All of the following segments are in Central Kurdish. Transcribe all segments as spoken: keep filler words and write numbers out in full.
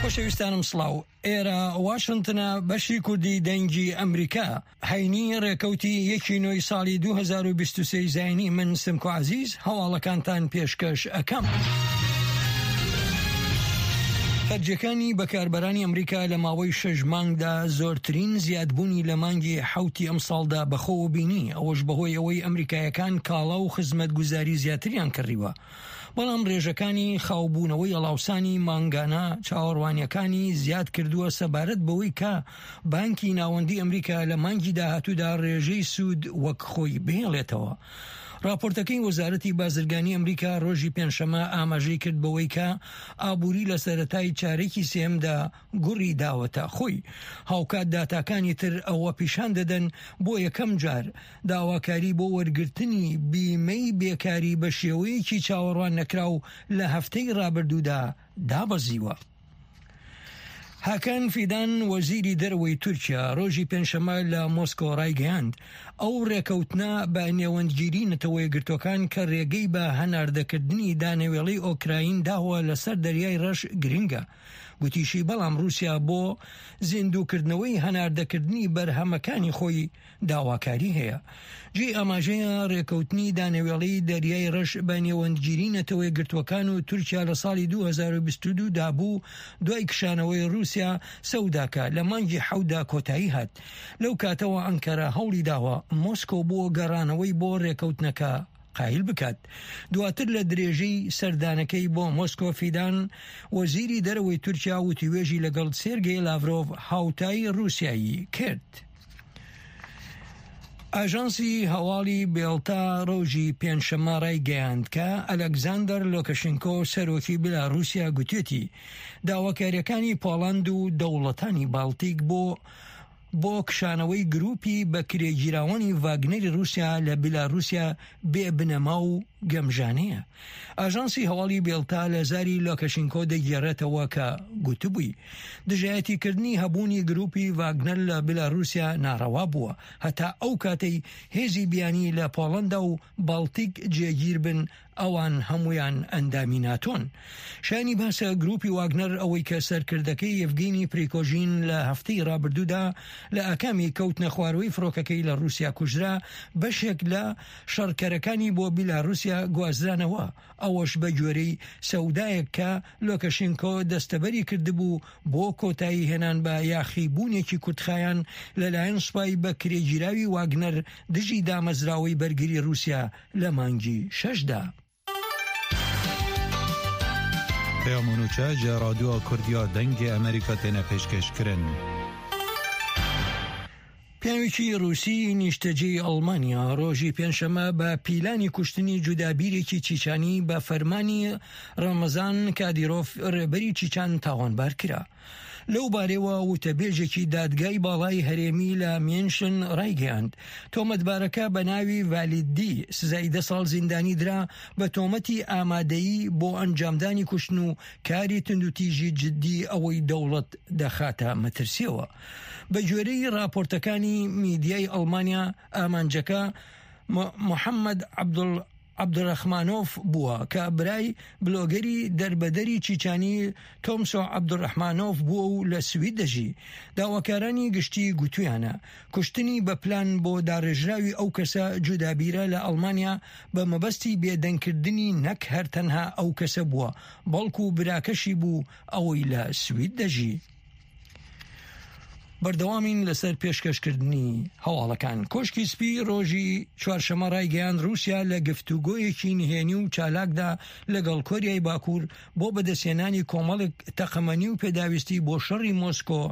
خۆشەویستانم سڵاو. ئێرە واشنتنە، بەشی کوردی دەنگی ئەمریکا. هەینی ڕێکەوتی یەکی نۆی ساڵی دوو هەزار و بیست و سێ زایینی، من سمکۆ عەزیز هەواڵەکانتان پێشکەش ئەکەم. خەرجیەکانی بەکاربەرانی ئەمریکا لە ماوەی شەش مانگدا زۆرترین زیادبوونی لە مانگی حەوتی ئەمساڵدا بەخۆوە بینی، ئەوەش بەهۆی ئەوەی ئەمریکایەکان کاڵا و خزمەتگوزاری زیاتریان کڕیوە. بەڵام ڕێژەکانی خاوبوونەوەی ئەڵاوسانی مانگانە چاوەڕوانیەکانی زیاد کردووە سەبارەت بەوەی کە بانکی ناوەندی ئەمریکا لە مانگی داهاتوودا ڕێژەی سوود وەک خۆی بهێڵێتەوە. راپۆرتەکەی وەزارەتی بازرگانی ئەمریکا ڕۆژی پێنجشەممە ئاماژەی کرد بەوەی کە ئابووری لە سەرەتای چارێکی سێمدا گوڕی داوەتە خۆی. هاوکات داتاکانی تر ئەوە پیشان دەدەن بۆ یەکەم جار داواکاری بۆ وەرگرتنی بیمەی بێکاری بە شێوەیەکی چاوەڕوان نەکراو لە هەفتەی ڕابردوودا دابەزیوە. هاکان فیدان وەزیری دەرەوەی تورکیا ڕۆژی پێنجشەممە لە مۆسکۆ ڕایگەیاند ئەو ڕێکەوتنە بە نێوەندگیری نەتەوە یەکگرتووەکان کە ڕێگەی بە هەناردەکردنی دانەوێڵەی ئۆکراین داوە لەسەر دەریای ڕەش گرنگە. گوتیشی بەڵام رووسیا بۆ زیندووکردنەوەی هەناردەکردنی بەرهەمەکانی خۆی داواکاری هەیە. جێی ئاماژەیە ڕێکەوتنی دانەوێڵەی دەریای ڕەش بە نێوەندگیری نەتەوە یەکگرتووەکان و تورکیا لە ساڵی دوو هەزار و بیست و دوو دا بوو دوای کشانەوەی رووسیا سەوداکە لە مانگی حەوتدا کۆتایی هات. لەو کاتەوە ئەنکەرە هەوڵی داوە مۆسکۆ بۆ گەڕانەوەی بۆ ڕێکەوتنەکە قایل بکات. دواتر لە درێژەی سەردانەکەی بۆ مۆسکۆ فیدان وەزیری دەرەوەی تورکیا وتوێژی لەگەڵ سێرگەی لاڤرۆڤ هاوتای رووسیایی کرد. ئاژانسی هەواڵی بێڵتا ڕۆژی پێنجشەممە ڕایگەیاند کە ئەلکساندەر لۆکەشینکۆ سەرۆکی بلاروسیا گوتێتی داواکاریەکانی پۆڵەند و دەوڵەتانی باڵتیک بۆ بۆ کشانەوەی گروپی بەکرێگیراوانی ڤاگنەری رووسیا لە بلاروسیا بێ بنەما و گەمژانەیە. ئاژانسی هەواڵی بێڵتا لە زاری لۆکەشینکۆ دەگێڕێتەوە کە گوتبووی دژایەتیکردنی هەبوونی گروپی ڤاگنەر لە بلاروسیا ناڕەوا بووە هەتا ئەو کاتەی هێزی بیانی لە پۆڵەندا و باڵتیک جێگیر بن، ئەوان هەمویان ئەندامی ناتۆن. شانی باسە گروپی واگنەر ئەوەی کە سەرکردەکەی یەڤگینی پریکۆژین لە هەفتەی ڕابردوودا لە ئاکامی کەوتنە خواروەی فڕۆکەکەی لە رووسیا کوژرا، بەشێک لە شەڕکەرەکانی بۆ بیلاروسیا گوازرانەوە، ئەوەش بە گوێرەی سەودایەک کە لۆکەشینکۆ دەستەبەری کردبوو بۆ کۆتایی هێنان بە یاخیبوونێکی کورتخایان لەلایەن سوپای بەکرێگیراوی واگنەر دژی دامەزراوەی بەرگری رووسیا لە مانگی شەشدا. پەیام و نوچە ji رادیۆ کوردیا دەنگی ئەمریکا تێنە پێشکەشکردن. پیاوێکی رووسی نیشتەجێی ئەڵمانیا ڕۆژی پێنجشەممە بە پیلانی کوشتنی جودابیرێکی چیچانی بە فەرمانی ڕەمەزان کادیرۆف ڕێبەری چیچان تاوانبار کرا. لەو بارەوە وتەبێژێکی دادگای باڵای هەرێمی لە مینشن ڕایگەیاند تۆمەتبارەکە بە ناوی ڤالیدی سزای دە ساڵ زیندانی درا بە تۆمەتی ئامادەیی بۆ ئەنجامدانی کوشتن و کاری توندوتیژی جدی ئەوەی دەوڵەت دەخاتە مەترسیەوە. بە گوێرەی راپۆرتەکانی میدیای ئەڵمانیا ئامانجەکە محەممەد عەبدوڵ عەبدولڕەحمانۆف بووە کە برای بلۆگەری دەربەدەری چیچانی تۆمسۆ عەبدولڕەحمانۆف بووە و لە سوید دەژی. داواکارانی گشتی گوتویانە کوشتنی بە پلان بۆ داڕێژراوی ئەو کەسە جودابیرە لە ئەڵمانیا بە مەبەستی بێدەنگکردنی نەک هەر تەنها ئەو کەسە بووە، بەڵکو براکەشی بوو ئەوەی لە سوید دەژی. بەردەوامین لەسەر پێشکەشکردنی هەواڵەکان. کۆشکی سپی ڕۆژی چوارشەممە ڕایگەیاند رووسیا لە گفتوگۆیەکی نهێنی و چالاکدا لەگەڵ کۆریای باکوور بۆ بەدەستهێنانی کۆمەڵێک تەقەمەنی و پێداویستی بۆ شەڕی مۆسکۆ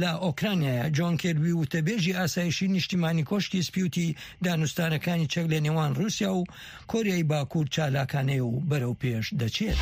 لە ئۆکرانیایە. جۆن کێربی وتەبێژی ئاسایشی نیشتیمانی کۆشکی سپیوتی دانوستانەکانی چەک لە نێوان رووسیا و کۆریای باکوور چالاکانەیە و بەرەو پێش دەچێت.